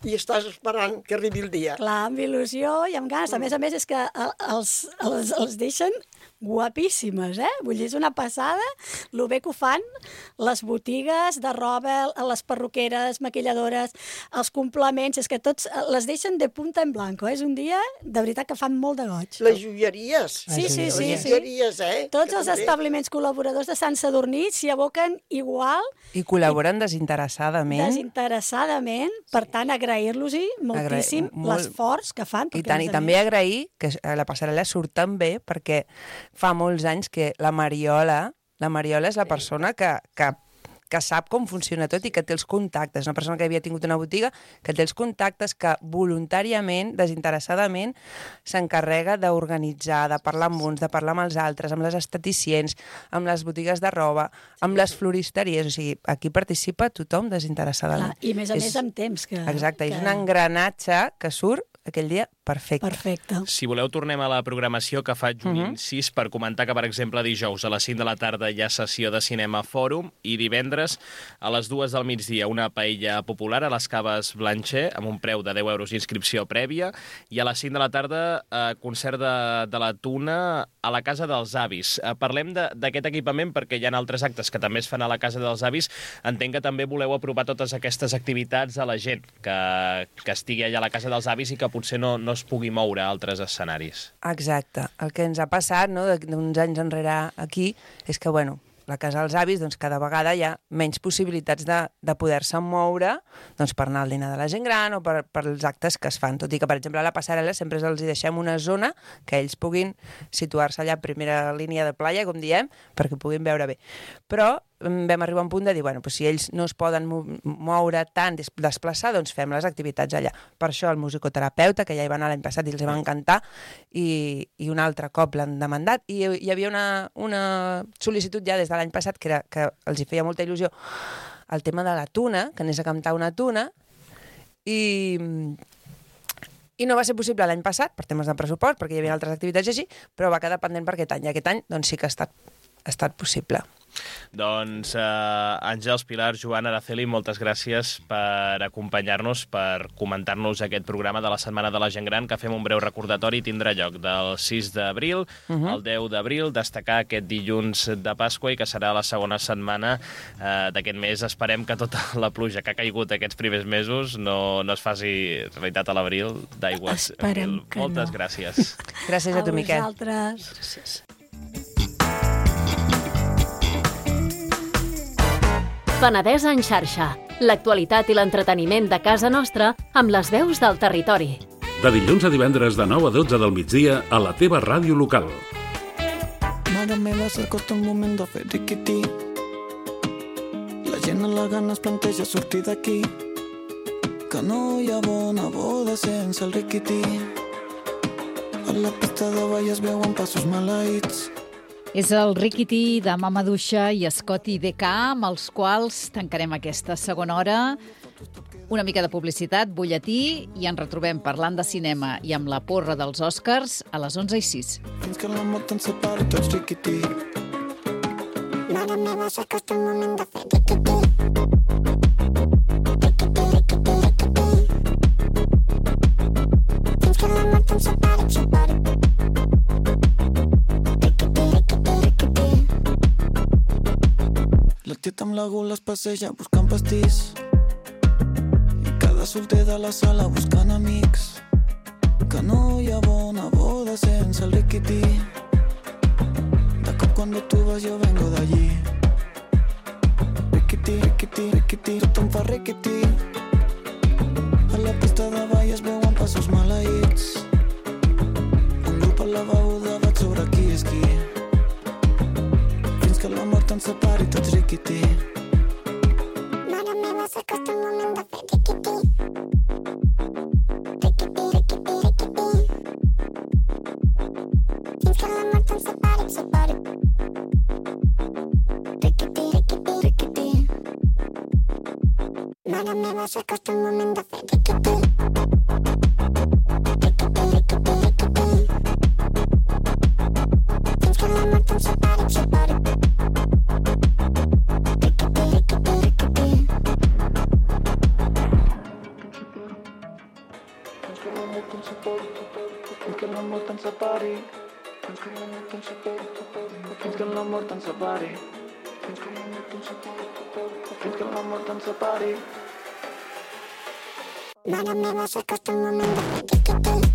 i estàs esperant que arribi el dia. Clar, amb il·lusió i amb ganes. A més és que els deixen guapíssimes, Vull dir, és una passada lo bé que ho fan les botigues de roba, les perruqueres, maquilladores, els complements, és que tots les deixen de punta en blanco, És un dia, de veritat, que fan molt de goig. Les joieries. Sí. Les joieries, Tots els establiments col·laboradors de Sant Sadurní s'hi aboquen igual. I col·laboren desinteressadament. Per tant, agrair-los-hi moltíssim l'esforç que fan. I tant, i també agrair que la passarel·la surt tan bé, perquè fa molts anys que la Mariola és la persona que sap com funciona tot i que té els contactes. Una persona que havia tingut una botiga, que té els contactes, que voluntàriament, desinteressadament, s'encarrega d'organitzar, de parlar amb uns, de parlar amb els altres, amb les esteticients, amb les botigues de roba, amb les floristeries. O sigui, aquí participa tothom desinteressadament. I a més amb temps. Exacte, és un engranatge que surt aquell dia perfecte. Si voleu, tornem a la programació que faig un incís per comentar que, per exemple, dijous a les 5 de la tarda hi ha sessió de cinema Fòrum i divendres a les 2 del migdia una paella popular a les Caves Blancher amb un preu de 10 euros d'inscripció prèvia i a les 5 de la tarda concert de la Tuna a la Casa dels Avis. Parlem d'aquest equipament perquè hi ha altres actes que també es fan a la Casa dels Avis. Entenc que també voleu apropar totes aquestes activitats a la gent que estigui allà a la Casa dels Avis i que potser no es pugui moure a altres escenaris. Exacte. El que ens ha passat, d'uns anys enrere aquí, és que, la Casa dels Avis, cada vegada hi ha menys possibilitats de poder-se moure per anar al dinar de la gent gran o per els actes que es fan. Tot i que, per exemple, a la passarel·la sempre els hi deixem una zona que ells puguin situar-se allà a primera línia de playa, com diem, perquè puguin veure bé. Però vam arribar a un punt de dir, si ells no es poden moure tant, desplaçar, doncs fem les activitats allà. Per això el musicoterapeuta, que ja hi va anar l'any passat i els va encantar, i un altre cop l'han demandat. I hi havia una sol·licitud ja des de l'any passat que els hi feia molta il·lusió el tema de la tuna, que anés a cantar una tuna, i no va ser possible l'any passat, per temes de pressupost, perquè hi havia altres activitats així, però va quedar pendent per aquest any. I aquest any sí que ha estat possible. Doncs Àngels, Pilar, Joan, Araceli, moltes gràcies per acompanyar-nos, per comentar-nos aquest programa de la Setmana de la Gent Gran, que fem un breu recordatori, tindrà lloc del 6 d'abril al 10 d'abril, destacar aquest dilluns de Pasqua i que serà la segona setmana d'aquest mes. Esperem que tota la pluja que ha caigut aquests primers mesos no es faci realitat a l'abril d'aigües. Esperem que moltes gràcies. Gràcies a tu, Miquel. A vosaltres. Gràcies. Penedès en xarxa. L'actualitat i l'entreteniment de casa nostra amb les veus del territori. De dilluns a divendres de 9 a 12 del migdia a la teva ràdio local. Mare meva, s'acosta un moment de fer riquití. La gent a la gana es planteja sortir d'aquí. Que no hi ha bona boda sense el riquití. A la pista de ball es veuen passos maleïts. És el Riquití de Mama Duixa i Scotty DK, amb els quals tancarem aquesta segona hora. Una mica de publicitat, butlletí, i ens retrobem parlant de cinema i amb la porra dels Oscars a les 11:06. Fins que la mort ens separi tots riquití. Mare meva, s'acosta un moment de fer riquití. Fins que la mort ens separi. La tieta amb la gula es passeja buscant pastís i cada solter de la sala buscant amics. Que no hi ha bona boda sense el riquití. De cop cuando tú vas yo vengo de allí. Riquití, riquití, riquití, tothom fa riquití. A la pista de ball es veuen passos maleïts. Un grup al lavabo debat sobre qui és qui. Que la mort ens separi tots riquití. Mare meva, s'acosta un moment de fer riquití. Riquití, riquití, riquití. Fins que la mort ens separi. Riquití, riquití, riquití. Mare meva, s'acosta un moment de fer riquití. Riquití, riquití, riquití. Fins que la mort ens separi. Fins que la mort ens separi. Fins que la mort ens separi. Fins que la mort ens separi. Fins que la mort ens separi. Mare meva, s'acosta un moment de fer riquití.